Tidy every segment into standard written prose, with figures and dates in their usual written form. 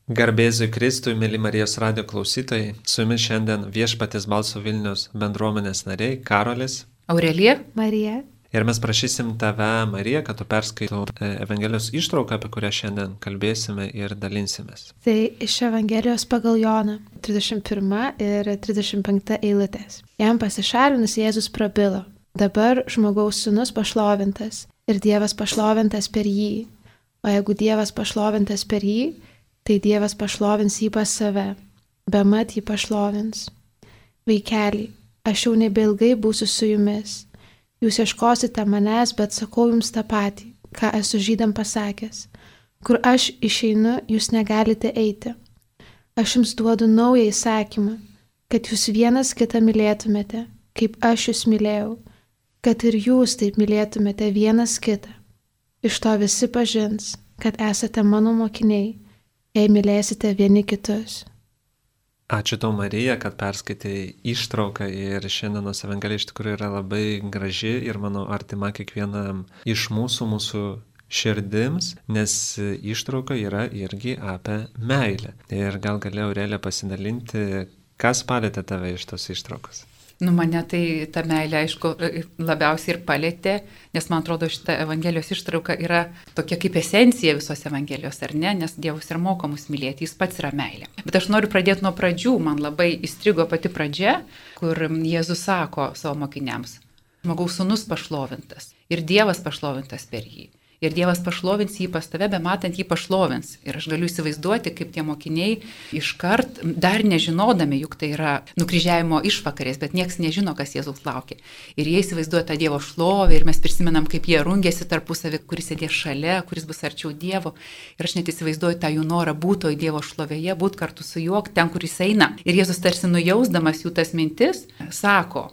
Garbėzui Kristui, mėly Marijos radijo klausytojai, su jumis šiandien Viešpaties balso Vilnius bendruomenės nariai Karolis, Aurelija, Marija. Ir mes prašysim tave, Marija, kad tu perskaitų Evangelijos ištrauką, apie kurią šiandien kalbėsime ir dalinsimės. Tai iš Evangelijos pagal Joną, 31 ir 35 eilutės. Jam pasišalinus Jėzus prabilo: dabar žmogaus sūnus pašlovintas ir Dievas pašlovintas per jį. O jeigu Dievas pašlovintas per jį, tai Dievas pašlovins jį pas save, bemat jį pašlovins. Vaikeli, aš jau nebeilgai būsiu su jumis. Jūs ieškosite manęs, bet sakau jums tą patį, ką esu žydam pasakęs. Kur aš išeinu, jūs negalite eiti. Aš jums duodu naują įsakymą, kad jūs vienas kitą mylėtumėte, kaip aš jūs mylėjau, kad ir jūs taip mylėtumėte vienas kitą. Iš to visi pažins, kad esate mano mokiniai, jei mylėsite vieni kitus. Ačiū tau, Marija, kad perskaitai ištrauką ir šiandienos Evangelija iš tikrųjų yra labai graži ir mano artima kiekvienam iš mūsų širdims, nes ištrauka yra irgi apie meilę. Ir gal galėjo Aurelija pasidalinti, kas palėtė tave iš tos ištraukos? Mane tai ta meilė, aišku, labiausiai ir palėtė, nes man atrodo, šita Evangelijos ištrauka yra tokia kaip esencija visos Evangelijos, ar ne, nes Dievas ir moko mus mylėti, jis pats yra meilė. Bet aš noriu pradėti nuo pradžių, man labai įstrigo pati pradžia, kur Jėzus sako savo mokiniams: žmogaus sūnus pašlovintas ir Dievas pašlovintas per jį. Ir Dievas pašlovins jį pas tave, bematant jį pašlovins. Ir aš galiu įsivaizduoti, kaip tie mokiniai iškart, dar nežinodami, juk tai yra nukryžiavimo išvakarės, bet nieks nežino, kas Jėzaus laukia. Ir jie įsivaizduoja tą Dievo šlovę ir mes prisimenam, kaip jie rungėsi tarpusavį, kuris sėdės šalia, kuris bus arčiau Dievo. Ir aš net įsivaizduoju tą jų norą būti Dievo šlovėje, būti kartu su juo, ten, kur jis eina. Ir Jėzus tarsi nujausdamas jų tas mintis, sako: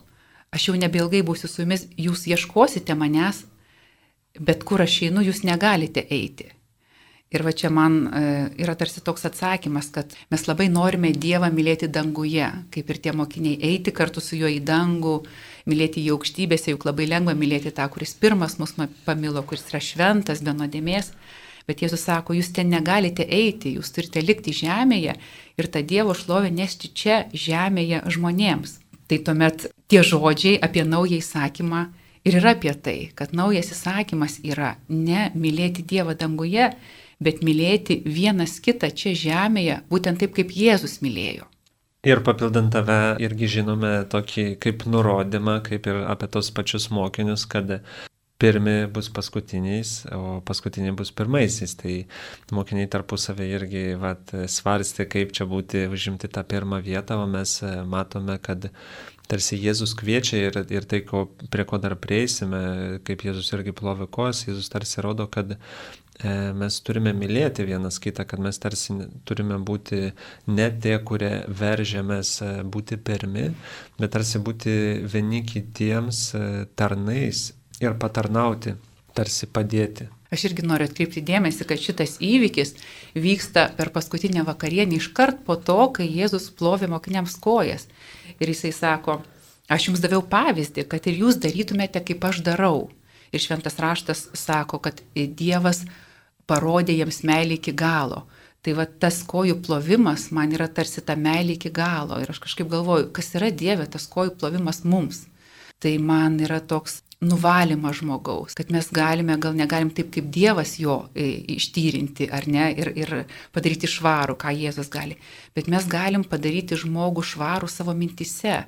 aš jau nebeilgai būsiu su jumis, jūs ieškosite manęs, bet kur aš einu, jūs negalite eiti. Ir va čia man yra tarsi toks atsakymas, kad mes labai norime Dievą mylėti danguje, kaip ir tie mokiniai, eiti kartu su juo į dangų, mylėti jį aukštybėse, juk labai lengva mylėti tą, kuris pirmas mus pamilo, kuris yra šventas, be nuodėmės. Bet Jėzus sako, jūs ten negalite eiti, jūs turite likti žemėje ir tą Dievo šlovę nešti čia žemėje žmonėms. Tai tuomet tie žodžiai apie naują įsakymą ir yra apie tai, kad naujas įsakymas yra ne mylėti Dievą danguje, bet mylėti vienas kitą čia žemėje, būtent taip, kaip Jėzus mylėjo. Ir papildant tave, irgi žinome tokį kaip nurodymą, kaip ir apie tos pačius mokinius, kad pirmi bus paskutiniais, o paskutiniai bus pirmaisiais. Tai mokiniai tarpusavį irgi svarstė, kaip čia būti užimti tą pirmą vietą, o mes matome, kad tarsi Jėzus kviečia ir tai, prie ko dar prieisime, kaip Jėzus irgi plovė kojas, Jėzus tarsi rodo, kad mes turime mylėti vienas kitą, kad mes tarsi turime būti ne tie, kurie veržiamės būti pirmi, bet tarsi būti vieni kitiems tarnais ir patarnauti, tarsi padėti. Aš irgi noriu atkreipti dėmesį, kad šitas įvykis vyksta per paskutinę vakarienę iškart po to, kai Jėzus plovė mokiniams kojas. Ir jisai sako: aš jums daviau pavyzdį, kad ir jūs darytumėte, kaip aš darau. Ir šventas raštas sako, kad Dievas parodė jiems meilę iki galo. Tai va tas kojų plovimas man yra tarsi ta meilė iki galo. Ir aš kažkaip galvoju, kas yra Dieve tas kojų plovimas mums. Tai man yra toks nuvalymas žmogaus, kad mes galime, gal negalim taip kaip Dievas jo ištyrinti, ar ne, ir padaryti švarų, ką Jėzus gali, bet mes galim padaryti žmogų švarų savo mintise,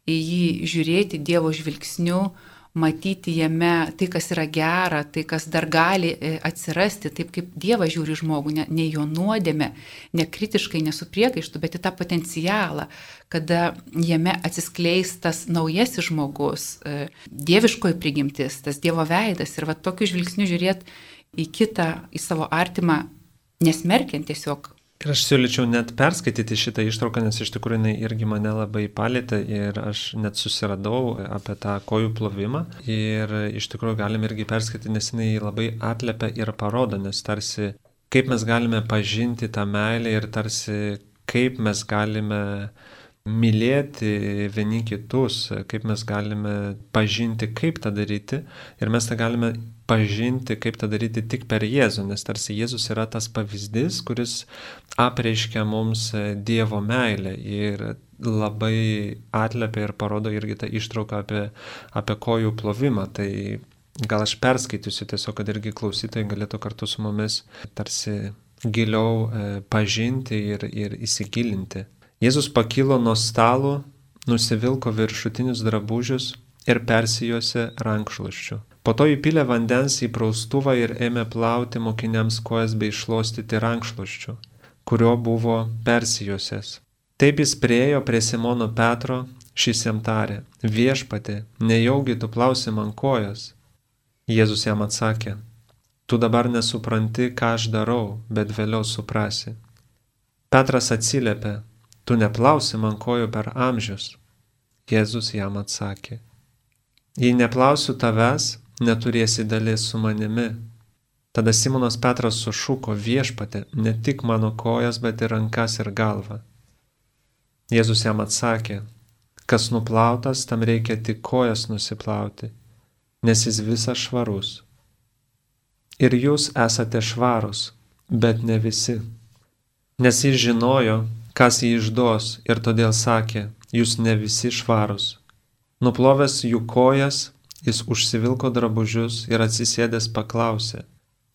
į jį žiūrėti Dievo žvilgsniu, matyti jame tai, kas yra gera, tai, kas dar gali atsirasti, taip kaip Dievas žiūri žmogų, ne jo nuodėmę, ne kritiškai, ne su priekaištu, bet į tą potencialą, kada jame atsiskleis tas naujasis žmogus, dieviškoji prigimtis, tas Dievo veidas. Ir va tokiu žvilgsniu žiūrėti į kitą, į savo artimą, nesmerkiant tiesiog. Ir aš siūlyčiau net perskaityti šitą ištrauką, nes iš tikrųjų jinai irgi mane labai palėtė ir aš net susiradau apie tą kojų plovimą. Ir iš tikrųjų galim irgi perskaityti, nes jinai labai atliepia ir parodo, nes tarsi kaip mes galime pažinti tą meilę ir tarsi kaip mes galime mylėti vieni kitus, kaip mes galime pažinti, kaip tą daryti. Ir mes tą galime pažinti, kaip tą daryti tik per Jėzų, nes tarsi Jėzus yra tas pavyzdys, kuris apreiškia mums Dievo meilę ir labai atliepia ir parodo irgi tą ištrauką apie kojų plovimą. Tai gal aš perskaitysiu tiesiog, kad irgi klausytojai galėtų kartu su mumis tarsi giliau pažinti ir įsigilinti. Jėzus pakilo nuo stalo, nusivilko viršutinius drabužius ir persijuosė rankšluosčiu. Po to įpylė vandens į praustuvą ir ėmė plauti mokiniams kojas bei šluostyti rankšluosčiu, kurio buvo persijuosęs. Taip jis priėjo prie Simono Petro, šis jam tarė: Viešpatie, nejaugi tu plausi man kojas? Jėzus jam atsakė: Tu dabar nesupranti, ką aš darau, bet vėliau suprasi. Petras atsiliepė: Tu neplausi man kojų per amžius. Jėzus jam atsakė: Jei neplausiu tavęs, neturėsi dalies su manimi. Tada Simonas Petras sušuko: Viešpatie, ne tik mano kojas, bet ir rankas ir galvą. Jėzus jam atsakė: Kas nuplautas, tam reikia tik kojas nusiplauti, nes jis visas švarus. Ir jūs esate švarūs, bet ne visi. Nes jis žinojo, kas jį išduos, ir todėl sakė: Jūs ne visi švarūs. Nuplovęs jų kojas, jis užsivilko drabužius ir atsisėdęs paklausė: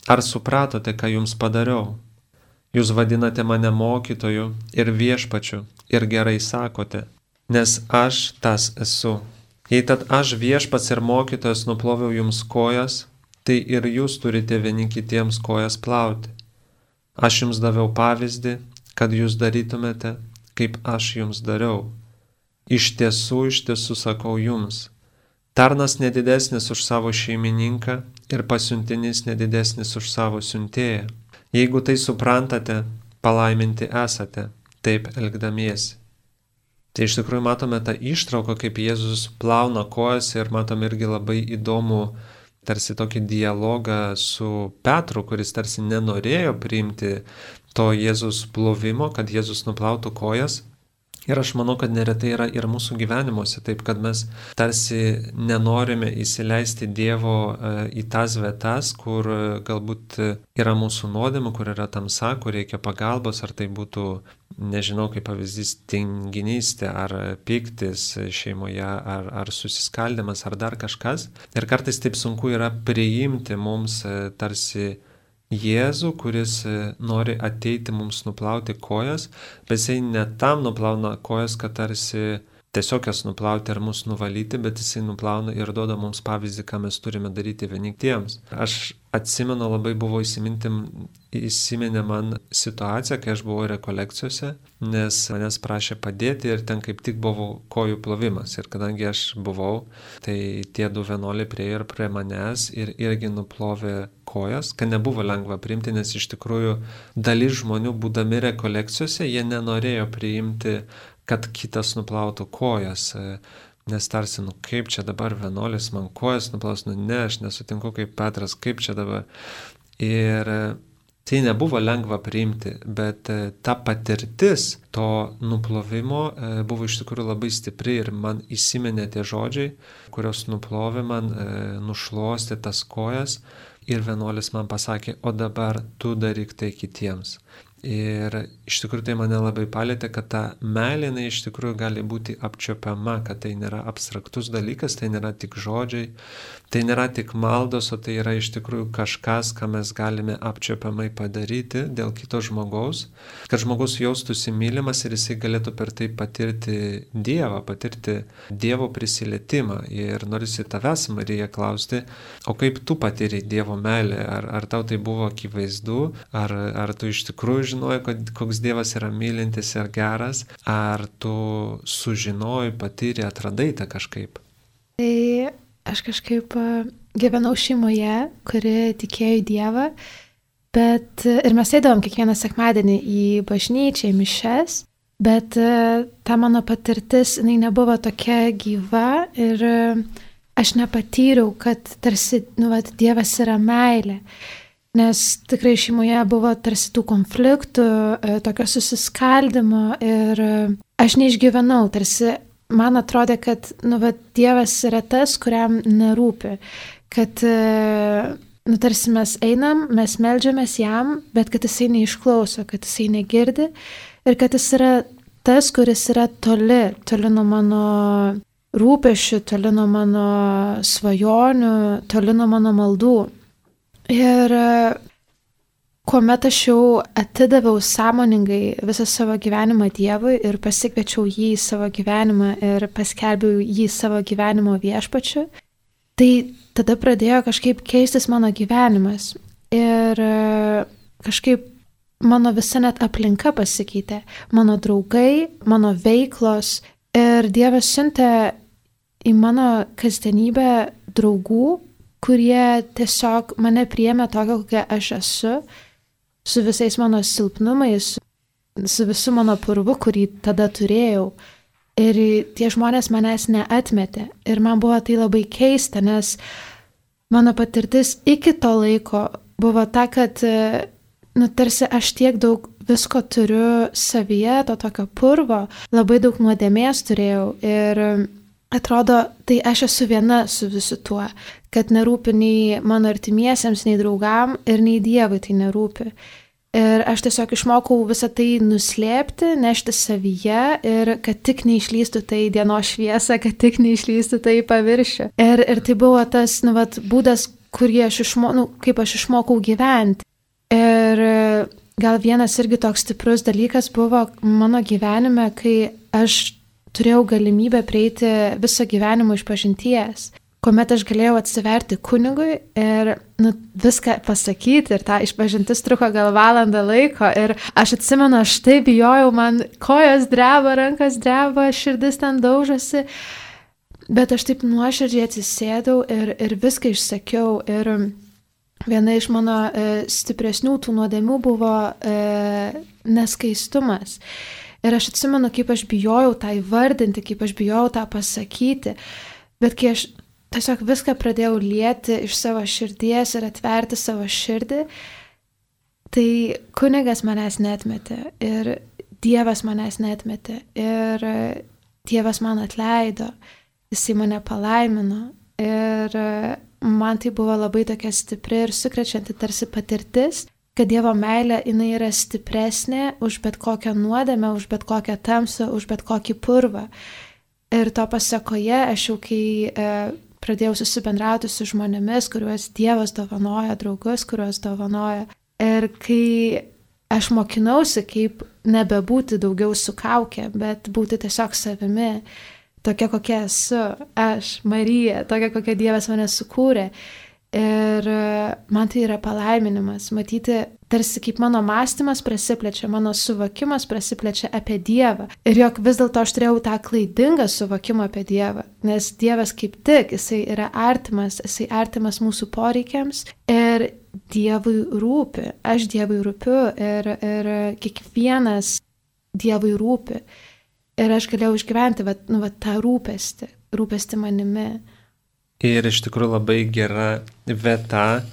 Ar supratote, ką jums padariau? Jūs vadinate mane mokytoju ir viešpačiu ir gerai sakote, nes aš tas esu. Jei tad aš viešpats ir mokytojas nuploviau jums kojas, tai ir jūs turite vieni kitiems kojas plauti. Aš jums daviau pavyzdį, kad jūs darytumėte, kaip aš jums dariau. Iš tiesų sakau jums, tarnas nedidesnis už savo šeimininką ir pasiuntinys nedidesnis už savo siuntėją. Jeigu tai suprantate, palaiminti esate, taip elgdamiesi. Tai iš tikrųjų matome tą ištrauką, kaip Jėzus plauna kojas ir matome irgi labai įdomų tarsi tokį dialogą su Petru, kuris tarsi nenorėjo priimti to Jėzus plovimo, kad Jėzus nuplautų kojas. Ir aš manau, kad neretai yra ir mūsų gyvenimuose taip, kad mes tarsi nenorime įsileisti Dievo į tas vietas, kur galbūt yra mūsų nuodėmė, kur yra tamsa, kur reikia pagalbos, ar tai būtų, nežinau, kaip pavyzdys, tinginystė, ar pyktis šeimoje, ar susiskaldimas, ar dar kažkas. Ir kartais taip sunku yra priimti mums tarsi Jėzų, kuris nori ateiti mums nuplauti kojas, bet jisai ne tam nuplauna kojas, kad tarsi tiesiog jas nuplauti ar mus nuvalyti, bet jisai nuplauna ir duoda mums pavyzdį, ką mes turime daryti vieni kitiems. Aš atsimenu, labai buvo įsiminė man situacija, kai aš buvau rekolekcijose, nes manęs prašė padėti ir ten kaip tik buvo kojų plovimas. Ir kadangi aš buvau, tai tie du vienuoliai priėjo prie manęs ir irgi nuplovė kojas, kad nebuvo lengva priimti, nes iš tikrųjų dalis žmonių, būdami rekolekcijose, jie nenorėjo priimti, kad kitas nuplautų kojas. Nes tarsi, kaip čia dabar vienuolis man kojas nuplaus, ne, aš nesutinku kaip Petras, kaip čia dabar. Ir tai nebuvo lengva priimti, bet ta patirtis to nuplovimo buvo iš tikrųjų labai stipri ir man įsiminė tie žodžiai, kurios nuplovė man, nušluostė tas kojas ir vienuolis man pasakė: o dabar tu daryk tai kitiems. Ir iš tikrųjų tai mane labai palėtė, kad ta meilė iš tikrųjų gali būti apčiuopiama, kad tai nėra abstraktus dalykas, tai nėra tik žodžiai, tai nėra tik maldos, o tai yra iš tikrųjų kažkas, ką mes galime apčiuopiamai padaryti dėl kito žmogaus, kad žmogus jaustųsi mylimas ir jisai galėtų per tai patirti Dievą, patirti Dievo prisilietimą. Ir norisi tavęs, Marija, klausti, o kaip tu patiri Dievo meilę? Ar tau tai buvo akivaizdu? Ar tu iš tikrųjų žinojai, koks Dievas yra mylintis ir geras, ar tu sužinojai, patyrė, atradai tą kažkaip? Tai aš kažkaip gyvenau šeimoje, kuri tikėjo į Dievą, bet ir mes eidavom kiekvieną sekmadienį į bažnyčią, į mišias, bet ta mano patirtis, jinai nebuvo tokia gyva ir aš nepatyriau, kad tarsi, Dievas yra meilė. Nes tikrai šeimoje buvo tarsi tų konfliktų, tokio susiskaldimo ir aš neišgyvenau, tarsi man atrodė, kad Dievas yra tas, kuriam nerūpi, kad tarsi mes einam, mes meldžiamės jam, bet kad jisai neišklauso, kad jisai negirdi ir kad jis yra tas, kuris yra toli nuo mano rūpesčių, toli nuo mano svajonių, toli nuo mano maldų. Ir kuomet aš jau atidaviau sąmoningai visą savo gyvenimą Dievui ir pasikviečiau jį į savo gyvenimą ir paskelbiau jį savo gyvenimo viešpačiu, tai tada pradėjo kažkaip keistis mano gyvenimas. Ir kažkaip mano visa net aplinka pasikeitė. Mano draugai, mano veiklos. Ir Dievas siuntė į mano kasdienybę draugų, kurie tiesiog mane priėmė tokią, kokia aš esu, su visais mano silpnumais, su visu mano purvu, kurį tada turėjau. Ir tie žmonės manęs neatmetė. Ir man buvo tai labai keista, nes mano patirtis iki to laiko buvo ta, kad tarsi aš tiek daug visko turiu savyje, to tokio purvo, labai daug nuodėmės turėjau. Ir atrodo, tai aš esu viena su visu tuo, kad nerūpi nei mano artimiesiems, nei draugam ir nei Dievui tai nerūpi. Ir aš tiesiog išmokau visą tai nuslėpti, nešti savyje ir kad tik neišlystų tai dienos šviesa, kad tik neišlystų tai į paviršių. Ir tai buvo tas būdas, kaip aš išmokau gyventi. Ir gal vienas irgi toks stiprus dalykas buvo mano gyvenime, kai aš turėjau galimybę prieiti viso gyvenimo išpažinties, kuomet aš galėjau atsiverti kunigui ir viską pasakyti, ir ta išpažintis truko gal valandą laiko. Ir aš atsimenu, aš taip bijojau, man kojos dreba, rankos dreba, širdis ten daužosi, bet aš taip nuoširdžiai atsisėdau ir viską išsakiau. Ir viena iš mano stipresnių tų nuodėmių buvo neskaistumas. Ir aš atsimenu, kaip aš bijojau tą įvardinti, kaip aš bijojau tą pasakyti. Bet kai aš tiesiog viską pradėjau lieti iš savo širdies ir atverti savo širdį, tai kunigas manęs neatmetė ir Dievas manęs neatmetė ir Dievas man atleido, jisai mane palaimino. Ir man tai buvo labai tokia stipri ir sukrečianti tarsi patirtis, kad Dievo meilė jinai yra stipresnė už bet kokią nuodėmę, už bet kokią tamsą, už bet kokį purvą. Ir to pasekoje aš jau kai pradėjau susibendrauti su žmonėmis, kuriuos Dievas dovanoja, draugus, kuriuos dovanoja. Ir kai aš mokinausi, kaip nebebūti daugiau su kauke, bet būti tiesiog savimi, tokia kokia esu, aš, Marija, tokia kokia Dievas mane sukūrė. Ir man tai yra palaiminimas, matyti tarsi kaip mano mąstymas prasiplečia, mano suvokimas prasiplečia apie Dievą. Ir jog vis dėlto aš turėjau tą klaidingą suvokimą apie Dievą, nes Dievas kaip tik, jisai yra artimas mūsų poreikiams ir Dievui rūpi, aš Dievui rūpiu ir kiekvienas Dievui rūpi. Ir aš galėjau išgyventi tą rūpestį manimi. Ir iš tikrųjų labai gera vieta,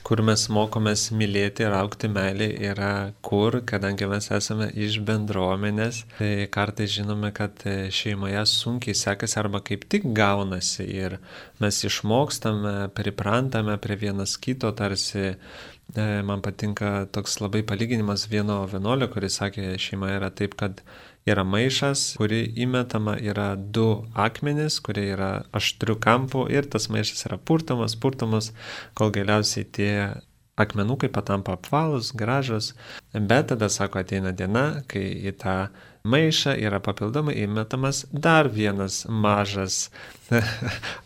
kur mes mokomės mylėti ir augti meilį, yra kur, kadangi mes esame iš bendruomenės, tai kartais žinome, kad šeimoje sunkiai sekasi arba kaip tik gaunasi ir mes išmokstame, priprantame prie vienas kito, tarsi man patinka toks labai palyginimas vieno vienuolio, kuris sakė, šeima yra taip, kad yra maišas, kuri įmetama yra 2 akmenys, kurie yra aštrių kampų ir tas maišas yra purtomas, kol galiausiai tie akmenukai patampa apvalūs, gražus. Bet tada, sako, ateina diena, kai į tą maišą yra papildomai įmetamas dar vienas mažas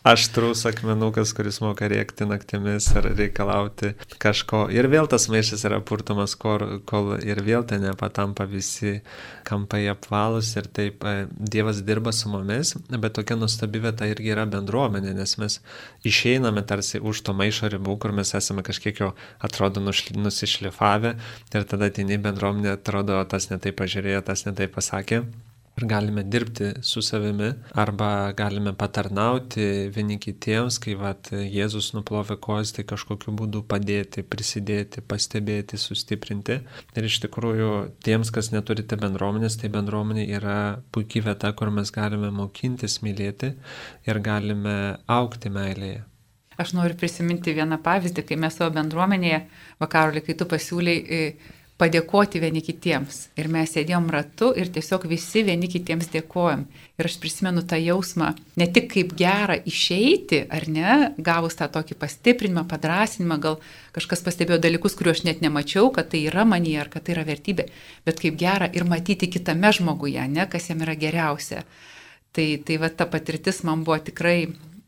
aštrus akmenukas, kuris moka rėkti naktimis ar reikalauti kažko. Ir vėl tas maišas yra purtomas, kol ir vėl ten nepatampa visi kampai apvalūs. Ir taip Dievas dirba su mumis, bet tokia nuostabi vieta irgi yra bendruomenė, nes mes išeiname tarsi už to maišo ribų, kur mes esame kažkiek jo atrodo nusišlifavę ir tada ateini bendruomenė, atrodo, tas netai pažiūrėjo, tas netai pasakė. Ir galime dirbti su savimi arba galime patarnauti vieni kitiems, kai Jėzus nuplovė kojas, tai kažkokiu būdu padėti, prisidėti, pastebėti, sustiprinti. Ir iš tikrųjų tiems, kas neturite bendruomenės, tai bendruomenė yra puikiai vieta, kur mes galime mokintis mylėti ir galime augti meilėje. Aš noriu prisiminti vieną pavyzdį, kai mes savo bendruomenėje, Karoli, kai tu pasiūlei padėkoti vieni kitiems. Ir mes sėdėjom ratu ir tiesiog visi vieni kitiems dėkojom. Ir aš prisimenu tą jausmą, ne tik kaip gera išeiti, ar ne, gavus tą tokį pastiprinimą, padrasinimą, gal kažkas pastebėjo dalykus, kuriuos aš net nemačiau, kad tai yra manyje ar kad tai yra vertybė, bet kaip gera ir matyti kitame žmoguje, ne, kas jam yra geriausia. Tai va ta patirtis man buvo tikrai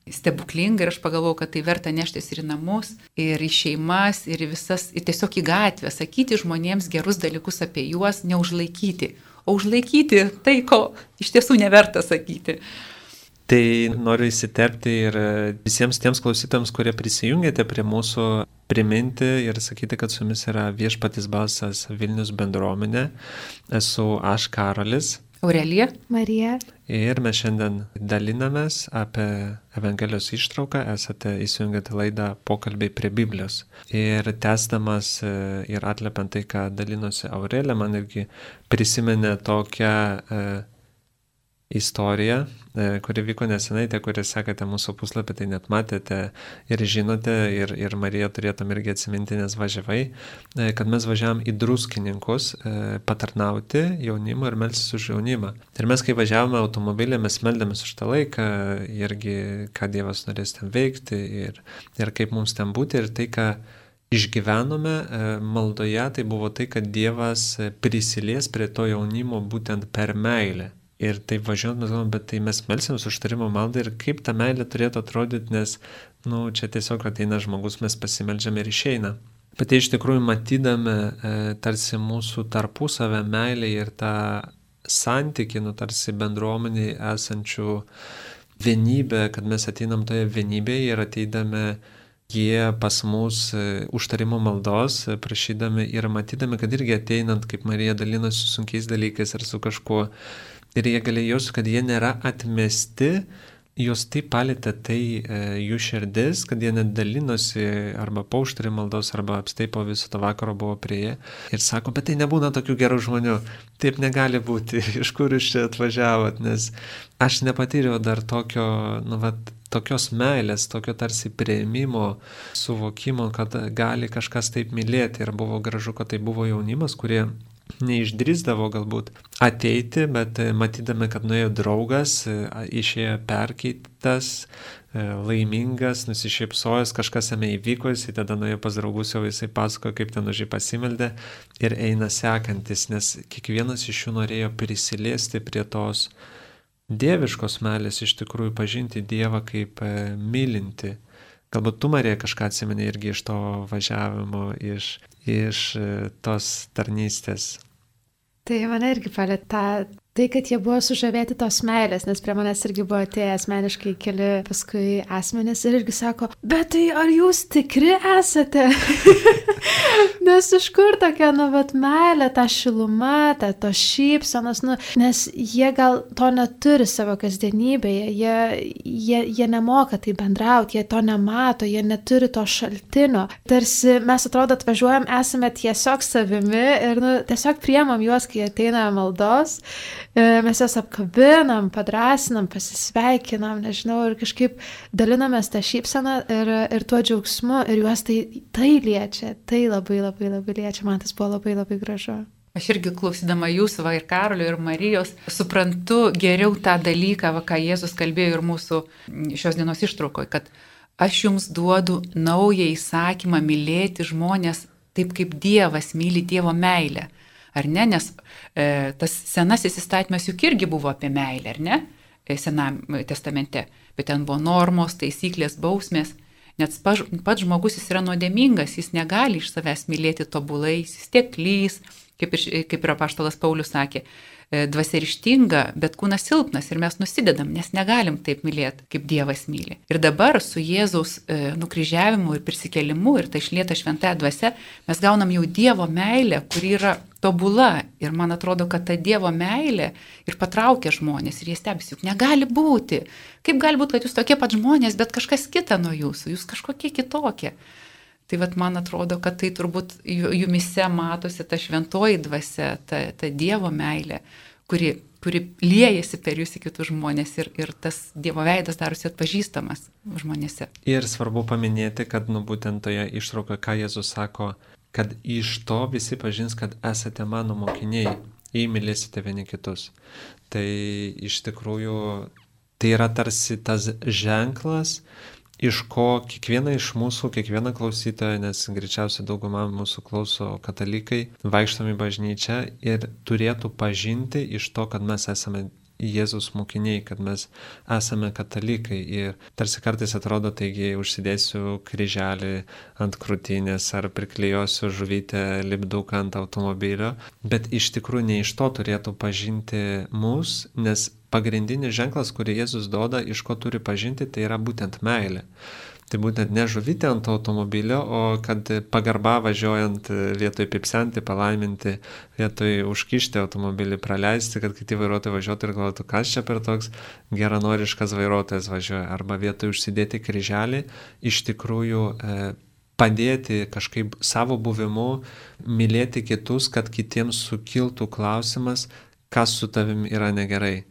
stebuklinga ir aš pagalvojau, kad tai verta neštis ir į namus, ir į šeimas, ir tiesiog į gatvę, sakyti žmonėms gerus dalykus apie juos, neužlaikyti, o užlaikyti tai, ko iš tiesų neverta sakyti. Tai noriu įsiterpti ir visiems tiems klausytams, kurie prisijungėte prie mūsų, priminti ir sakyti, kad su jumis yra Viešpaties balsas Vilnius bendruomenė. Esu aš, Karolis. Aurelija. Marija. Ir mes šiandien dalinamės apie Evangelijos ištrauką, esate įsijungę laidą Pokalbiai prie Biblijos. Ir tęsdamas ir atliepiant tai, ką dalinosi Aurelija, man irgi prisiminė tokią istoriją, kuri vyko nesenai, tie, kurie sekate mūsų puslapį, tai net matėte ir žinote, ir Marija turėtum irgi atsiminti, nes važiavai, kad mes važiavam į Druskininkus patarnauti jaunimą ir melstis už jaunimą. Ir mes, kai važiavome automobilį, mes meldėmės už tą laiką, irgi, ką Dievas norės ten veikti ir kaip mums ten būti. Ir tai, ką išgyvenome maldoje, tai buvo tai, kad Dievas prisilies prie to jaunimo būtent per meilę. Ir taip važiuojant, mes galvom, bet tai mes melsimės už tarimo maldą ir kaip ta meilė turėtų atrodyti, nes, čia tiesiog ateina žmogus, mes pasimeldžiame ir išeina. Bet tai iš tikrųjų matydami tarsi mūsų tarpusavę meilę ir tą santykį, tarsi bendruomeniai esančių vienybę, kad mes ateinam toje vienybėje ir ateidami jie pas mus užtarimo maldos, prašydami ir matydami, kad irgi ateinant, kaip Marija dalinosi su sunkiais dalykais ar su kažkuo, ir jie galėjo jaustis, kad jie nėra atmesti, jos taip palėtė tai jų širdis, kad jie net dalinosi arba po užtarimo maldos, arba apstai po viso to vakaro buvo prie jie. Ir sako, bet tai nebūna tokių gerų žmonių, taip negali būti, iš kur jūs čia atvažiavot, nes aš nepatyriau dar tokios meilės, tokio tarsi priėmimo, suvokimo, kad gali kažkas taip mylėti. Ir buvo gražu, kad tai buvo jaunimas, kurie neišdrįsdavo galbūt ateiti, bet matydami, kad nuėjo draugas, išėjo perkeitas, laimingas, nusišypsojęs, kažkas jame įvyko, jisai tada nuėjo pas draugus, jau jisai pasako, kaip ten už jį pasimeldė ir eina sekantis, nes kiekvienas iš jų norėjo prisiliesti prie tos dieviškos meilės, iš tikrųjų pažinti Dievą kaip mylinti. Galbūt tu, Marija, kažką atsimeni irgi iš to važiavimo, iš tos tarnystės. Tai mane irgi palėtė tai, kad jie buvo sužavėti tos meilės, nes prie manęs irgi buvo atėję asmeniškai keli paskui asmenys ir irgi sako, bet tai ar jūs tikri esate? Nes iš kur tokia, meilė, ta šiluma, tos šypsenos, nes jie gal to neturi savo kasdienybėje, jie nemoka tai bendrauti, jie to nemato, jie neturi to šaltinio. Tarsi mes atrodo atvažiuojam, esame tiesiog savimi ir tiesiog priemam juos, kai ateina maldos. Mes jas apkabinam, padrasinam, pasisveikinam, nežinau, ir kažkaip dalinamės tą šypseną ir tuo džiaugsmu, ir juos tai liečia, tai labai labai labai liečia, man tas buvo labai labai gražu. Aš irgi klausydama jūsų, ir Karolio, ir Marijos, suprantu geriau tą dalyką, ką Jėzus kalbėjo ir mūsų šios dienos ištraukoje, kad aš jums duodu naują įsakymą mylėti žmonės taip, kaip Dievas myli Dievo meilę. Ar ne? Nes tas senasis įstatymas juk irgi buvo apie meilę, ar ne? Sename testamente. Bet ten buvo normos, taisyklės, bausmės. Net pats žmogus jis yra nuodėmingas, jis negali iš savęs mylėti tobulai, jis tiek klys, kaip ir apaštalas Paulius sakė. Dvasia ryžtinga, bet kūnas silpnas ir mes nusidedam, nes negalim taip mylėti, kaip Dievas myli. Ir dabar su Jėzaus nukryžiavimu ir prisikėlimu ir tai išlieta šventąja dvasia, mes gaunam jau Dievo meilę, kuri yra tobula. Ir man atrodo, kad ta Dievo meilė ir patraukia žmonės ir jie stebisi, juk negali būti. Kaip gali būti, kad jūs tokie pat žmonės, bet kažkas kita nuo jūsų, jūs kažkokie kitokie. Tai man atrodo, kad tai turbūt jumise matosi ta šventoji dvasia, ta Dievo meilė, kuri liejasi per jūs į kitus žmonės ir tas Dievo veidas darosi atpažįstamas žmonėse. Ir svarbu paminėti, kad būtent toje ištraukoje, ką Jėzus sako, kad iš to visi pažins, kad esate mano mokiniai, jei mylėsite vieni kitus. Tai iš tikrųjų tai yra tarsi tas ženklas, iš ko kiekviena iš mūsų, kiekviena klausytoja, nes greičiausiai dauguma mūsų klauso katalikai, vaikštom į bažnyčią ir turėtų pažinti iš to, kad mes esame Jėzus mokiniai, kad mes esame katalikai. Ir tarsi kartais atrodo, taigi užsidėsiu kryželį ant krūtinės ar priklijuosiu žuvytę lipduką ant automobilio, bet iš tikrųjų ne iš to turėtų pažinti mus, nes pagrindinis ženklas, kurį Jėzus duoda, iš ko turi pažinti, tai yra būtent meilė. Tai būtent ne žuvytė ant automobilio, o kad pagarba važiuojant vietoj pipsenti, palaiminti, vietoj užkišti automobilį, praleisti, kad kiti vairuotojai važiuotų ir galvotų, kas čia per toks geranoriškas vairuotojas važiuoja. Arba vietoj užsidėti kryželį, iš tikrųjų padėti kažkaip savo buvimu, mylėti kitus, kad kitiems sukiltų klausimas, kas su tavim yra negerai.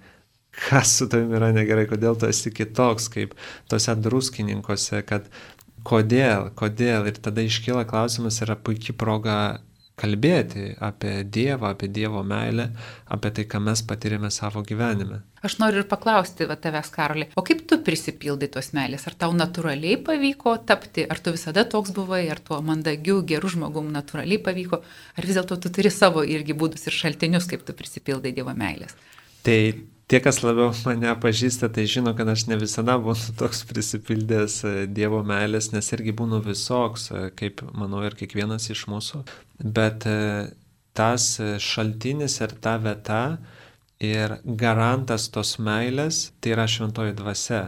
Kas su tavim yra negerai, kodėl tu esi kitoks, kaip tose druskininkuose, kad kodėl. Ir tada iškyla klausimas, yra puikia proga kalbėti apie Dievą, apie Dievo meilę, apie tai, ką mes patyrėme savo gyvenime. Aš noriu ir paklausti tavęs, Karoli, o kaip tu prisipildai tos meilės? Ar tau natūraliai pavyko tapti? Ar tu visada toks buvai? Ar tuo mandagiu, geru žmogum natūraliai pavyko? Ar vis dėlto tu turi savo irgi būdus ir šaltinius, kaip tu prisipildai Dievo meilės? Tai tie, kas labiau mane pažįsta, tai žino, kad aš ne visada būnu toks prisipildęs Dievo meilės, nes irgi būnu visoks, kaip manau ir kiekvienas iš mūsų. Bet tas šaltinis ir ta vieta ir garantas tos meilės, tai yra šventoji dvasia.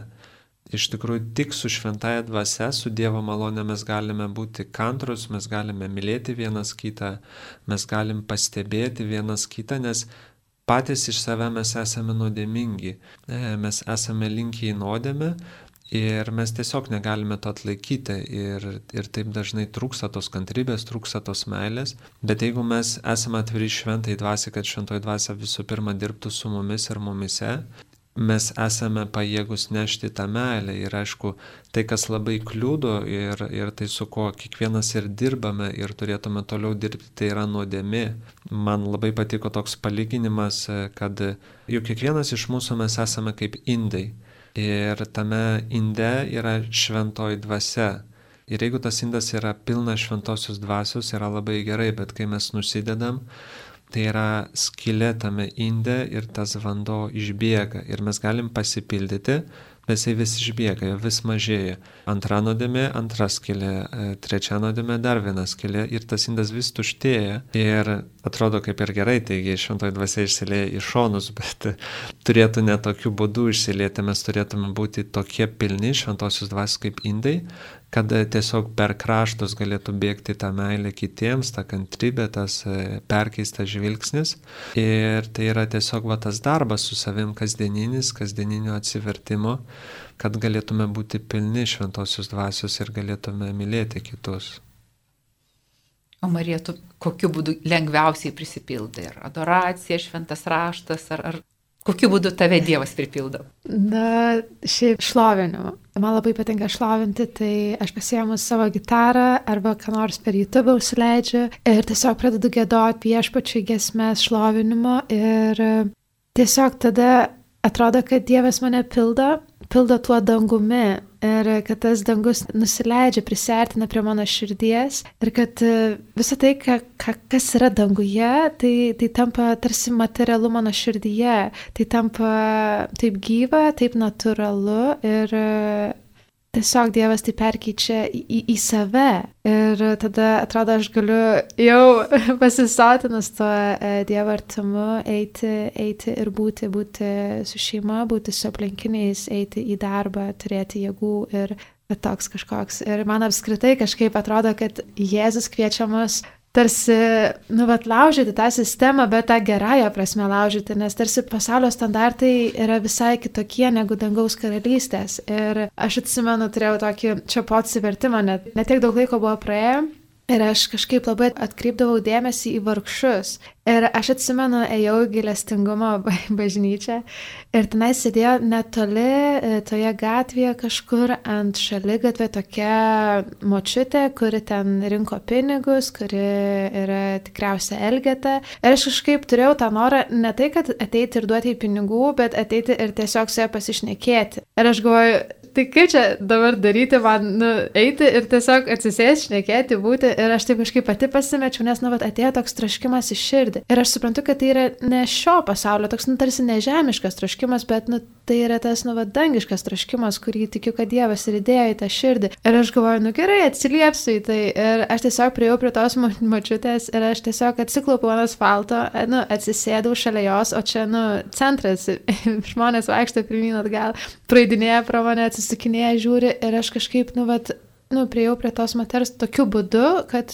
Iš tikrųjų, tik su šventaja dvasia, su Dievo malone mes galime būti kantrus, mes galime mylėti vienas kitą, mes galim pastebėti vienas kitą, nes patys iš save mes esame nuodėmingi, mes esame linkę į nuodėmę ir mes tiesiog negalime to atlaikyti ir taip dažnai trūksta tos kantrybės, trūksta tos meilės, bet jeigu mes esame atviri šventai dvasiai, kad šventoji dvasia visų pirma dirbtų su mumis ir mumise, mes esame pajėgus nešti tą meilę ir aišku, tai kas labai kliūdo ir tai su kuo kiekvienas ir dirbame ir turėtume toliau dirbti, tai yra nuodėmė. Man labai patiko toks palyginimas, kad juk kiekvienas iš mūsų mes esame kaip indai ir tame inde yra šventoji dvasia. Ir jeigu tas indas yra pilnas šventosios dvasios, yra labai gerai, bet kai mes nusidedam, tai yra skylė tame inde ir tas vanduo išbėga ir mes galim pasipildyti, bet jisai vis išbėga, vis mažėja. Antra nuodėmė, antra skylė, trečia nuodėmė, dar viena skylė ir tas indas vis tuštėja ir atrodo kaip ir gerai, taigi šventoji dvasia išsilieja į šonus, bet turėtų ne tokiu būdu išsilieti, mes turėtume būti tokie pilni šventosios dvasios kaip indai, kad tiesiog per kraštus galėtų bėgti tą meilę kitiems, tą kantrybę, tas perkeistas žvilgsnis. Ir tai yra tiesiog tas darbas su savim kasdieninio atsivertimo, kad galėtume būti pilni šventosios dvasios ir galėtume mylėti kitus. O Marija, tu kokiu būdu lengviausiai prisipildai? Ar adoracija, šventas raštas, ar kokiu būdu tave Dievas pripildo? Na, šiaip šlovinimu. Man labai patinka šlovinti, tai aš pasiėmu savo gitarą arba ką nors per YouTube užsileidžiu ir tiesiog pradedu giedoti viešpačiui giesmes šlovinimo ir tiesiog tada atrodo, kad Dievas mane pildo tuo dangumi ir kad tas dangus nusileidžia, prisiartina prie mano širdies ir kad visą tai, kas yra danguje, tai tampa tarsi materialu mano širdyje, tai tampa taip gyva, taip natūralu ir tiesiog Dievas tai perkeičia į save ir tada atrodo, aš galiu jau pasisotinus tuo Dievo artumu eiti ir būti su šeima, būti su aplinkiniais, eiti į darbą, turėti jėgų ir toks kažkoks. Ir man apskritai kažkaip atrodo, kad Jėzus kviečia mus tarsi, laužyti tą sistemą, bet tą gerąją prasme laužyti, nes tarsi pasaulio standartai yra visai kitokie negu dangaus karalystės. Ir aš atsimenu, turėjau tokį čia po atsivertimą, net tiek daug laiko buvo praėję, Ir aš kažkaip labai atkreipdavau dėmesį į vargšus. Ir aš atsimenu, ėjau į gailestingumo bažnyčią ir tenai sėdėjo netoli toje gatvėje kažkur ant šaligatvė tokia močiutė, kuri ten rinko pinigus, kuri yra tikriausia elgeta. Ir aš kažkaip turėjau tą norą ne tai, kad ateiti ir duoti į pinigų, bet ateiti ir tiesiog su ja pasišnekėti. Ir aš galvoju, tai kaip čia dabar daryti, man eiti ir tiesiog atsisėsti, šnekėti, būti. Ir aš taip kažkaip pati pasimečiau, nes atėjo toks troškimas į širdį. Ir aš suprantu, kad tai yra ne šio pasaulio, toks tarsi nežemiškas troškimas, bet tai yra tas dangiškas troškimas, kurį tikiu, kad Dievas ir įdėjo į tą širdį. Ir aš galvoju, gerai, atsiliepsiu į tai. Ir aš tiesiog priėjau prie tos močiutės ir aš tiesiog atsiklaupiau ant asfalto, atsisėdau šalia jos, o čia, centras, žmonės vaikšto pirmyn atgal, praeidinėja pro mane, atsisukinėja, žiūri ir aš kažkaip, priėjau prie tos moters tokiu būdu, kad,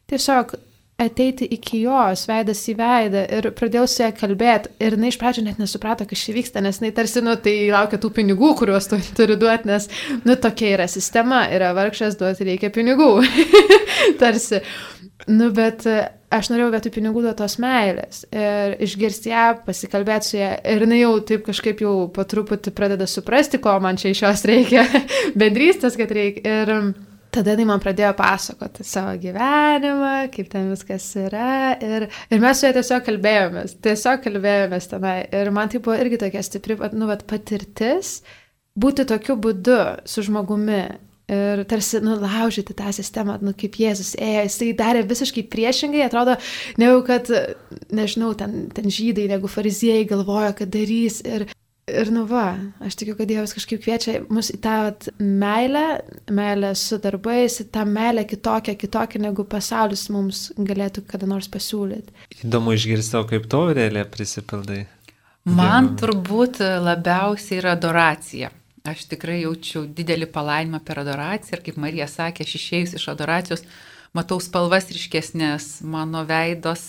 tiesiog ateiti iki jos, veidas į veidą ir pradėjau su ją kalbėti ir jinai iš pradžių net nesuprato, kas čia vyksta, nes jinai tarsi, tai laukia tų pinigų, kuriuos tu turi duoti, nes, tokia yra sistema, yra vargšas, duoti reikia pinigų, tarsi. Bet aš norėjau vietoj pinigų duotos meilės ir išgirsti ją, pasikalbėti su ją ir jinai jau taip kažkaip jau po truputį pradeda suprasti, ko man čia iš jos reikia, bendrystės, kad reikia. Ir tada jinai man pradėjo pasakoti savo gyvenimą, kaip ten viskas yra ir mes su ja tiesiog kalbėjomės tenai ir man tai buvo irgi tokia stipri, patirtis būti tokiu būdu su žmogumi. Ir tarsi, laužyti tą sistemą, kaip Jėzus ėjo, jisai darė visiškai priešingai, atrodo, negu kad, nežinau, ten žydai, negu fariziejai galvojo, kad darys. Ir aš tikiu, kad Dievas kažkaip kviečia mus į tą meilę su darbais, į tą meilę kitokią, negu pasaulis mums galėtų kada nors pasiūlyti. Įdomu išgirsti, kaip to realiai prisipildai. Man turbūt labiausiai yra adoracija. Aš tikrai jaučiu didelį palaimą per adoraciją ir kaip Marija sakė, aš išėjus iš adoracijos, matau spalvas ryškesnės, mano veidos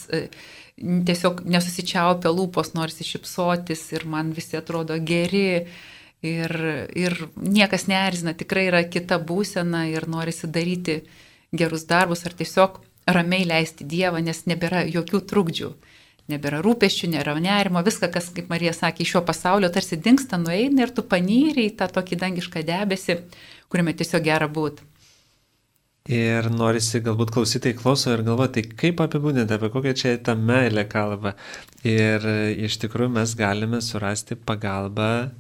tiesiog nesusičiaupia lūpos, norisi šypsotis ir man visi atrodo geri ir niekas neerzina, tikrai yra kita būsena ir norisi daryti gerus darbus ar tiesiog ramiai leisti Dievą, nes nebėra jokių trukdžių. Nebėra rūpesčių, nėra nerimo, viską, kas, kaip Marija sakė, iš šio pasaulio tarsi dingsta, nueina ir tu panyri į tą tokį dangišką debesį, kuriame tiesiog gera būti. Ir norisi galbūt klausytojai klauso ir galvoti, tai kaip apibūdinti, apie kokią čia tą meilę kalbą. Ir iš tikrųjų mes galime surasti pagalbą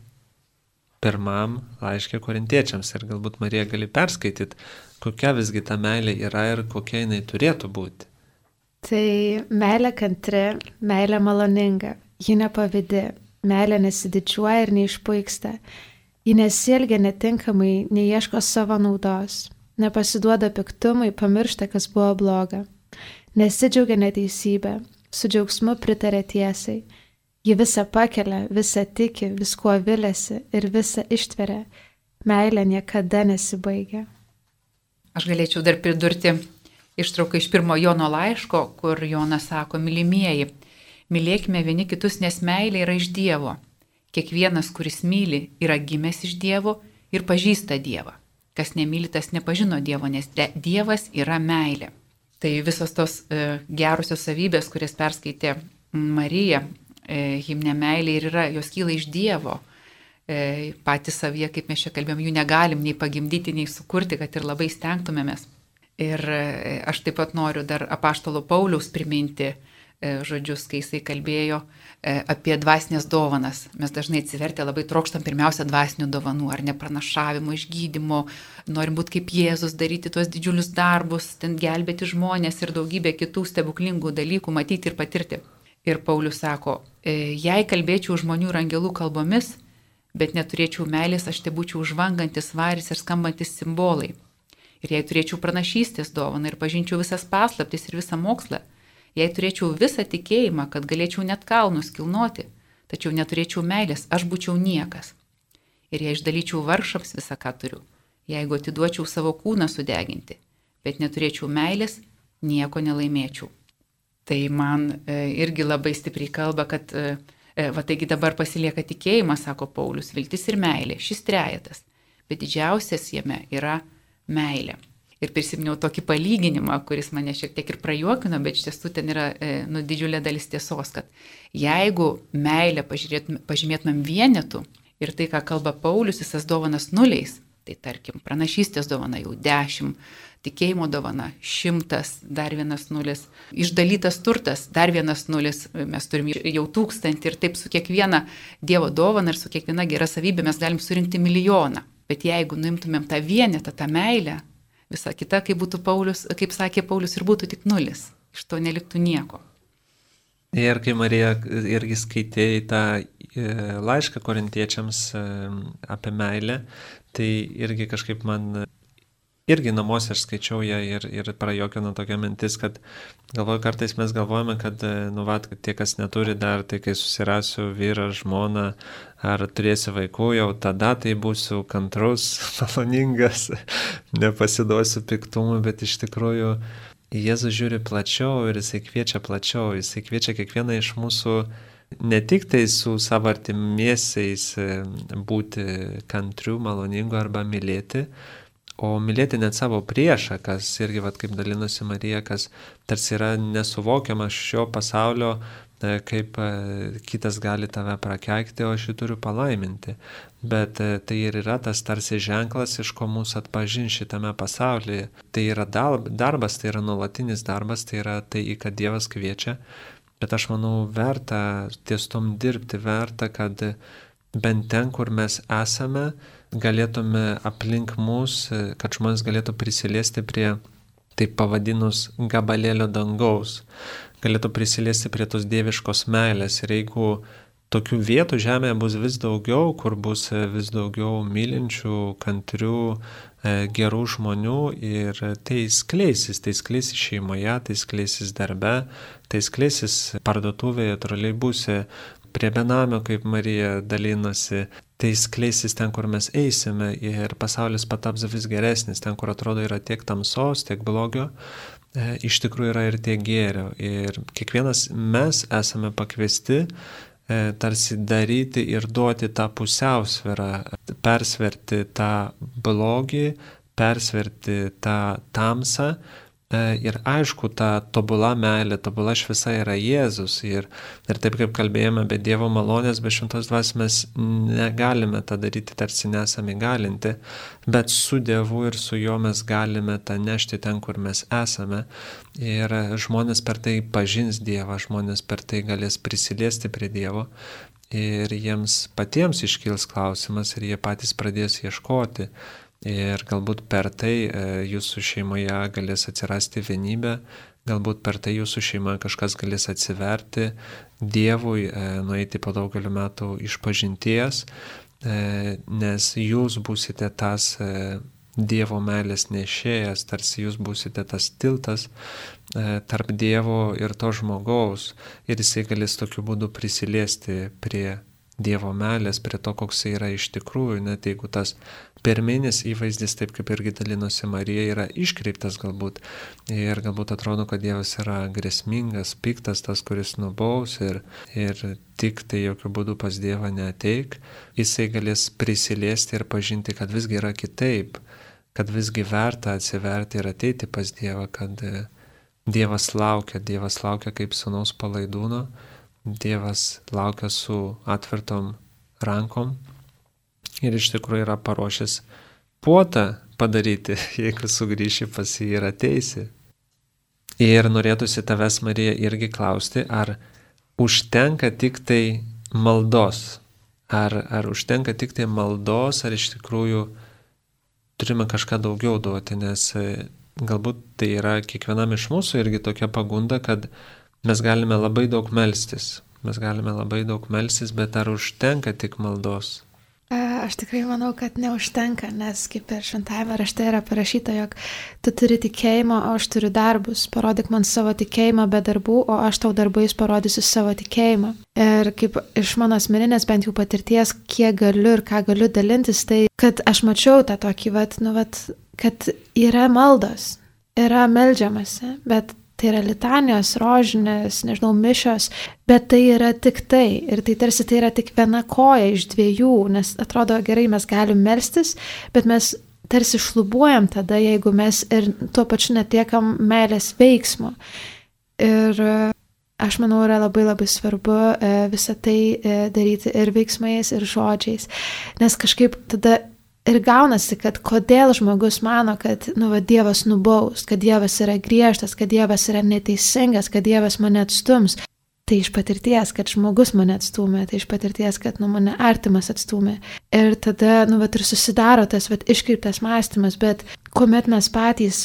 pirmam laiške korintiečiams. Ir galbūt Marija gali perskaityti, kokia visgi ta meilė yra ir kokia jinai turėtų būti. Tai meilė kantri, meilė maloninga, ji nepavydi, meilė nesididžiuoja ir neišpuiksta, ji nesielgia netinkamai, neieško savo naudos, nepasiduoda piktumui, pamiršta, kas buvo bloga, nesidžiaugia neteisybė, su džiaugsmu pritarė tiesai, ji visą pakelia, visą tiki, viskuo viliasi ir visą ištveria, meilė niekada nesibaigia. Aš galėčiau dar pridurti ištrauką iš 1 Jono laiško, kur Jonas sako, mylimieji, mylėkime vieni kitus, nes meilė yra iš Dievo. Kiekvienas, kuris myli, yra gimęs iš Dievo ir pažįsta Dievą. Kas nemyli, tas nepažino Dievo, nes Dievas yra meilė. Tai visos tos gerosios savybės, kurias perskaitė Marija, himne meilė ir yra, jos kyla iš Dievo. Patys savyje, kaip mes čia kalbėjom, jų negalim nei pagimdyti, nei sukurti, kad ir labai stengtumėmės. Ir aš taip pat noriu dar apaštalo Pauliaus priminti žodžius, kai jisai kalbėjo apie dvasinės dovanas. Mes dažnai atsivertę labai trokštam pirmiausia dvasinių dovanų, ar ne pranašavimo, išgydymo, norim būti kaip Jėzus, daryti tuos didžiulius darbus, ten gelbėti žmonės ir daugybę kitų stebuklingų dalykų matyti ir patirti. Ir Paulius sako, jei kalbėčiau žmonių ir angelų kalbomis, bet neturėčiau meilės, aš te būčiau žvangantis varis ir skambantis simbolai. Ir jei turėčiau pranašystės dovaną ir pažinčiau visas paslaptis ir visą mokslą, jei turėčiau visą tikėjimą, kad galėčiau net kalnus kilnoti, tačiau neturėčiau meilės, aš būčiau niekas. Ir jei išdalyčiau vargšams visą, ką turiu, jeigu atiduočiau savo kūną sudeginti, bet neturėčiau meilės, nieko nelaimėčiau. Tai man irgi labai stipriai kalba, kad taigi dabar pasilieka tikėjimas, sako Paulius, viltis ir meilė, šis trejetas, bet didžiausias jame yra meilė. Ir prisiminiau tokį palyginimą, kuris mane šiek tiek ir prajuokino, bet iš tiesų ten yra didžiulė dalis tiesos, kad jeigu meilę pažymėtumėm vienetų ir tai, ką kalba Paulius, visas dovanas nuliais, tai tarkim, pranašystės dovana jau 10, tikėjimo dovana 100, dar 1 nulis, išdalytas turtas, dar 1 nulis, mes turim jau 1000 ir taip su kiekviena Dievo dovana ir su kiekviena gera savybė mes galim surinkti 1 000 000. Bet jeigu nuimtumėm tą vienetą, tą meilę, visa kita, kaip sakė Paulius, ir būtų tik 0. Iš to neliktų nieko. Ir kai Marija irgi skaitė tą laišką korintiečiams apie meilę, tai irgi kažkaip man, irgi namuose aš skaičiau ją ir prajuokino tokia mintis, kad galvoju, kartais mes galvojame, kad tie, kas neturi dar, tai kai susirasiu vyrą, žmoną, ar turėsiu vaikų, jau tada tai būsiu kantrus, maloningas, nepasiduosiu piktumui, bet iš tikrųjų Jėzus žiūri plačiau ir jisai kviečia plačiau, jisai kviečia kiekvieną iš mūsų ne tik tai su savo artimiesiais būti kantriu, maloningu arba mylėti, o mylėti net savo priešą, kas irgi, kaip dalinosi Marija, kas tarsi yra nesuvokiama šio pasaulio, kaip kitas gali tave prakeikti, o aš jį turiu palaiminti. Bet tai ir yra tas tarsi ženklas, iš ko mūsų atpažin šitame pasaulyje. Tai yra darbas, tai yra nuolatinis darbas, tai yra tai, į ką Dievas kviečia. Bet aš manau, verta ties tom dirbti, verta, kad bent ten, kur mes esame, galėtume aplink mus, kad žmonės galėtų prisiliesti prie, taip pavadinus, gabalėlio dangaus, galėtų prisiliesti prie tos dieviškos meilės. Ir jeigu tokių vietų žemėje bus vis daugiau, kur bus vis daugiau mylinčių, kantrių, gerų žmonių, ir tai skleisis šeimoje, tai skleisis darbe, tai skleisis parduotuvėje, troleibuse, prie benamio, kaip Marija dalinosi, tai skleisis ten, kur mes eisime, ir pasaulis pataps vis geresnis, ten, kur atrodo yra tiek tamsos, tiek blogio, iš tikrųjų yra ir tiek gėrio. Ir kiekvienas mes esame pakviesti tarsi daryti ir duoti tą pusiausvyrą, persverti tą blogį, persverti tą tamsą. Ir aišku, ta tobula meilė, tobula šviesa yra Jėzus. Ir taip kaip kalbėjome, be Dievo malonės, be šventos dvasios mes negalime tą daryti, tarsi nesame įgalinti, bet su Dievu ir su juo mes galime tą nešti ten, kur mes esame. Ir žmonės per tai pažins Dievą, žmonės per tai galės prisiliesti prie Dievo. Ir jiems patiems iškils klausimas ir jie patys pradės ieškoti. Ir galbūt per tai jūsų šeimoje galės atsirasti vienybė, galbūt per tai jūsų šeimoje kažkas galės atsiverti Dievui, nueiti po daugelių metų išpažinties, nes jūs būsite tas Dievo meilės nešėjas, tarsi jūs būsite tas tiltas tarp Dievo ir to žmogaus, ir jisai galės tokiu būdu prisiliesti prie Dievo meilės, prie to, koks jis yra iš tikrųjų, net jeigu tas pirminis įvaizdis, taip kaip irgi dalinosi Marija, yra iškreiptas galbūt, ir galbūt atrodo, kad Dievas yra grėsmingas, piktas, tas, kuris nubaus, ir tik tai jokių būdų pas Dievą neateik, jisai galės prisiliesti ir pažinti, kad visgi yra kitaip, kad visgi verta atsiverti ir ateiti pas Dievą, kad Dievas laukia kaip sūnaus palaidūno, Dievas laukia su atvertom rankom ir iš tikrųjų yra paruošęs puotą padaryti, jeigu sugrįši pas jį ir ateisi. Ir norėtųsi tavęs, Marija, irgi klausti, ar užtenka tik tai maldos, ar užtenka tik tai maldos, ar iš tikrųjų turime kažką daugiau duoti, nes galbūt tai yra kiekvienam iš mūsų irgi tokia pagunda, kad mes galime labai daug melstis, bet ar užtenka tik maldos? Aš tikrai manau, kad neužtenka, nes kaip ir šventajame rašte yra parašyta, jog tu turi tikėjimą, o aš turiu darbus. Parodyk man savo tikėjimą be darbų, o aš tau darbais parodysiu savo tikėjimą. Ir kaip iš mano asmeninės bent jau patirties, kiek galiu ir ką galiu dalintis, tai kad aš mačiau tą tokį, kad yra maldos, yra meldžiamasi, bet tai yra litanijos, rožinės, mišios, bet tai yra tik tai. Ir tai tarsi tai yra tik viena koja iš dviejų, nes atrodo gerai, mes galim melstis, bet mes tarsi šlubuojam tada, jeigu mes ir tuo pačiu netiekam meilės veiksmo. Ir aš manau, yra labai labai svarbu visą tai daryti ir veiksmais, ir žodžiais. Nes kažkaip tada ir gaunasi, kad kodėl žmogus mano, kad Dievas nubaus, kad Dievas yra griežtas, kad Dievas yra neteisingas, kad Dievas mane atstums. Tai iš patirties, kad žmogus mane atstumė, tai iš patirties, kad mane artimas atstumė. Ir tada, ir susidaro tas iškreiptas mąstymas, bet kuomet mes patys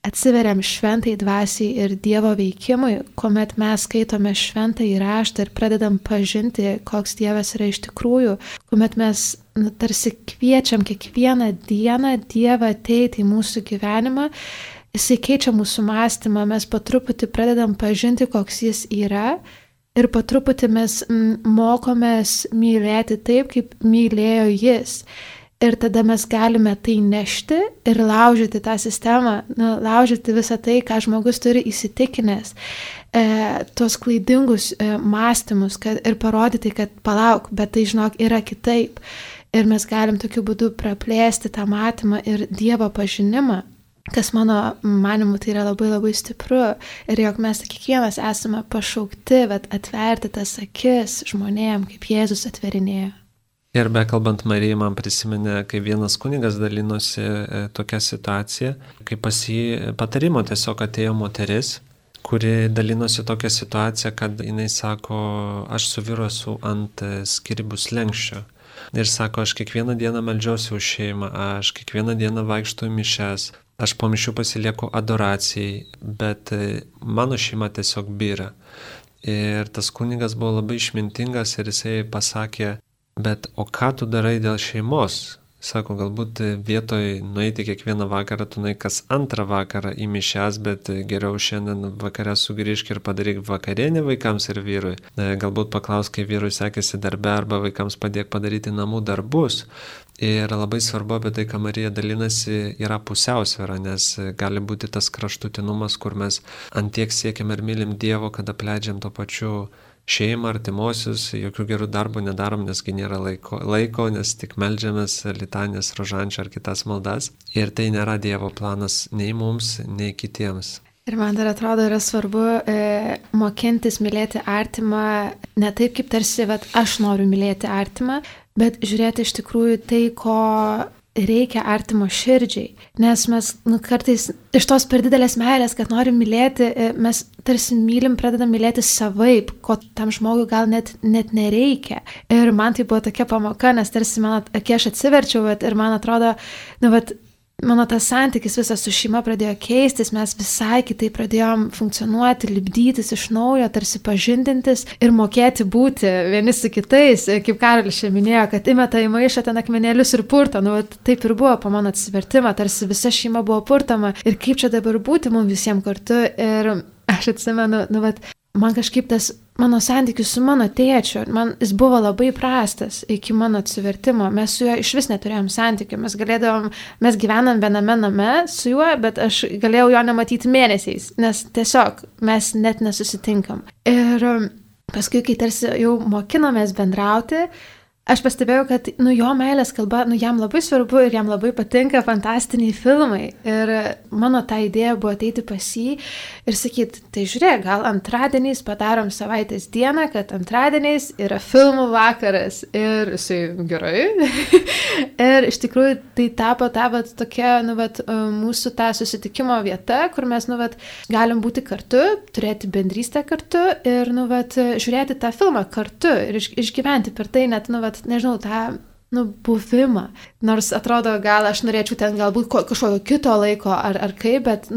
atsiveriam šventai dvasiai ir Dievo veikimui, kuomet mes skaitome šventąjį raštą ir pradedam pažinti, koks Dievas yra iš tikrųjų, kuomet mes tarsi kviečiam kiekvieną dieną Dievą ateiti į mūsų gyvenimą, Jisai keičia mūsų mąstymą, mes po truputį pradedam pažinti, koks jis yra ir po truputį mes mokomės mylėti taip, kaip mylėjo jis. Ir tada mes galime tai nešti ir laužyti tą sistemą, laužyti visą tai, ką žmogus turi įsitikinęs, tuos klaidingus mąstymus ir parodyti, kad palauk, bet tai žinok yra kitaip. Ir mes galim tokiu būdu praplėsti tą matymą ir Dievo pažinimą. Kas mano manimu tai yra labai labai stipru ir jog mes kiekvienas esame pašaukti, atverti tas akis žmonėm, kaip Jėzus atverinėjo. Ir bekalbant Marijai, man prisiminė, kai vienas kunigas dalinosi tokią situaciją, kai pas jį patarimo tiesiog atėjo moteris, kuri dalinosi tokią situaciją, kad jinai sako, aš su vyru esu ant skyrybų slenksčio. Ir sako, aš kiekvieną dieną meldžiuosi už šeimą, aš kiekvieną dieną vaikštu į mišias. Aš po mišių pasilieku adoracijai, bet mano šeima tiesiog byra. Ir tas kunigas buvo labai išmintingas ir jisai pasakė, bet o ką tu darai dėl šeimos? Sako, galbūt vietoj nueiti kiekvieną vakarą, tu nueik kas antrą vakarą į mišias, bet geriau šiandien vakare sugrįžk ir padaryk vakarienę vaikams ir vyrui. Galbūt paklausk, kai vyrui sekėsi darbe arba vaikams padėk padaryti namų darbus. Ir labai svarbu apie tai, ką Marija dalinasi, yra pusiausvėra, nes gali būti tas kraštutinumas, kur mes antiek siekiam ir mylim Dievo, kad apleidžiam to pačiu šeimą, artimuosius, jokių gerų darbų nedarom, nesgi nėra laiko, nes tik meldžiamės litanijas, rožančią ar kitas maldas. Ir tai nėra Dievo planas nei mums, nei kitiems. Ir man dar atrodo yra svarbu mokintis mylėti artimą ne taip, kaip tarsi, aš noriu mylėti artimą, bet žiūrėti iš tikrųjų tai, ko reikia artimo širdžiai. Nes mes kartais iš tos per didelės meilės, kad norim mylėti, mes tarsi mylim, pradedam mylėti savaip, ko tam žmogui gal net nereikia. Ir man tai buvo tokia pamoka, nes tarsi kai aš atsiverčiau ir man atrodo, mano tas santykis visas su šeima pradėjo keistis, mes visai kitaip pradėjom funkcionuoti, lipdytis iš naujo, tarsi pažindintis ir mokėti būti vieni su kitais, kaip Karolis čia minėjo, kad įmeta į maišą ten akmenėlius ir purto, taip ir buvo po mano atsivertimą, tarsi visa šeima buvo purtama ir kaip čia dabar būti mums visiems kartu. Ir aš atsimenu, man kažkaip tas mano santykis su mano tėčiu, jis buvo labai prastas iki mano atsivertimo. Mes su juo iš vis neturėjom santykių. Mes gyvenam viename name su juo, bet aš galėjau jo nematyti mėnesiais, nes tiesiog mes net nesusitinkam. Ir paskui, kai tarsi jau mokinomės bendrauti, aš pastebėjau, kad jo meilės kalba, jam labai svarbu ir jam labai patinka fantastiniai filmai. Ir mano ta idėja buvo ateiti pas jį ir sakyti, tai žiūrėk, gal antradieniais padarom savaitės dieną, kad antradieniais yra filmų vakaras. Ir jisai gerai. Ir iš tikrųjų tai tapo tokia, mūsų ta susitikimo vieta, kur mes, galim būti kartu, turėti bendrystę kartu ir, žiūrėti tą filmą kartu ir išgyventi per tai net, nežinau, tą buvimą. Nors atrodo, gal aš norėčiau ten galbūt kažkokio kito laiko ar kaip, bet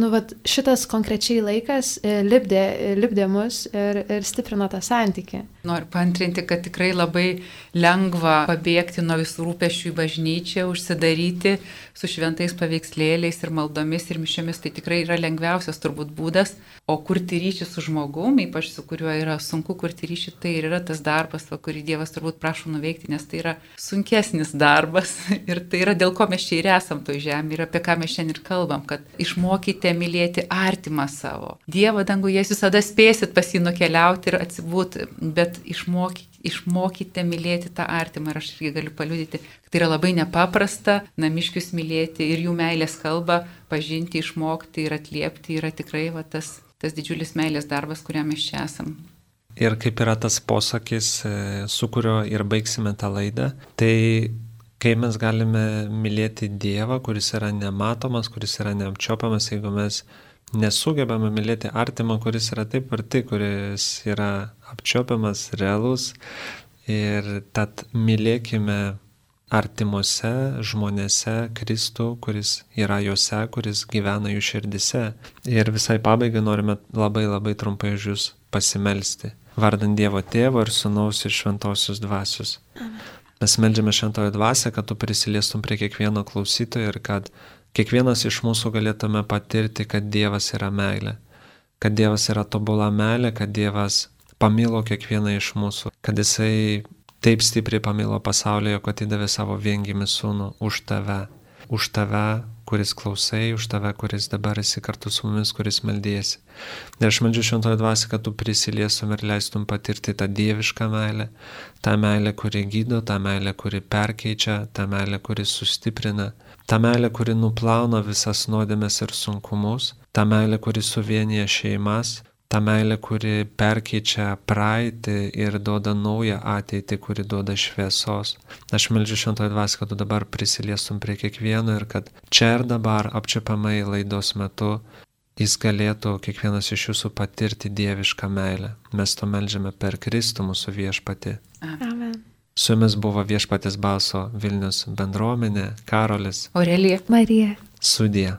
šitas konkrečiai laikas lipdė mus ir stiprino tą santykį. Noriu paantrinti, kad tikrai labai lengva pabėgti nuo visų rūpesčių į bažnyčią, užsidaryti su šventais paveikslėliais ir maldomis ir mišiomis. Tai tikrai yra lengviausias turbūt būdas, o kurti ryšį su žmogumi, ypač su kuriuo yra sunku kurti ryšį, tai ir yra tas darbas, kurį Dievas turbūt prašo nuveikti, nes tai yra sunkesnis darbas ir tai yra dėl ko mes čia ir esam toj žemė ir apie ką mes šiandien ir kalbam, kad išmokite mylėti artimą savo. Dievą danguje jūs visada spėsit pas jį nukeliauti ir atsibūti, bet kad išmokite mylėti tą artimą. Ir aš irgi galiu paliudyti, kad tai yra labai nepaprasta namiškius mylėti ir jų meilės kalbą pažinti, išmokti ir atliepti yra tikrai tas didžiulis meilės darbas, kuriam mes čia esam. Ir kaip yra tas posakis, su kurio ir baigsime tą laidą, tai kai mes galime mylėti Dievą, kuris yra nematomas, kuris yra neapčiopiamas, jeigu mes nesugebame mylėti artimą, kuris yra taip arti, kuris yra apčiopiamas, realus. Ir tad mylėkime artimuose žmonėse Kristų, kuris yra juose, kuris gyvena jų širdise. Ir visai pabaigai norime labai labai trumpai už jūs pasimelsti. Vardant Dievo Tėvo ir Sūnaus ir Šventosios Dvasios. Mes meldžiame Šventojo Dvasią, kad tu prisiliestum prie kiekvieno klausytojo ir kad kiekvienas iš mūsų galėtume patirti, kad Dievas yra meilė, kad Dievas yra tobula meilė, kad Dievas pamilo kiekvieną iš mūsų, kad Jisai taip stipriai pamilo pasaulyje, kad įdavė savo viengimį sūnų už tave, kuris klausai, už tave, kuris dabar esi kartu su mumis, kuris meldėsi. Ir aš meldžiu Šventojo Dvasią, kad tu prisiliestum ir leistum patirti tą dievišką meilę, tą meilę, kuri gydo, tą meilę, kuri perkeičia, tą meilę, kuri sustiprina, tą meilę, kuri nuplauna visas nuodėmes ir sunkumus, tą meilę, kuri suvienyje šeimas, tą meilę, kuri perkeičia praeitį ir duoda naują ateitį, kuri duoda šviesos. Aš meldžiu Šventojo Dvasią, kad tu dabar prisiliestum prie kiekvieno ir kad čia ir dabar apčiuopiamai laidos metu jis galėtų kiekvienas iš jūsų patirti dievišką meilę. Mes to meldžiame per Kristų mūsų viešpatį. Amen. Su jumis buvo Viešpatės balso Vilnius bendruomenė, Karolis, Aurelija, Marija. Sudie.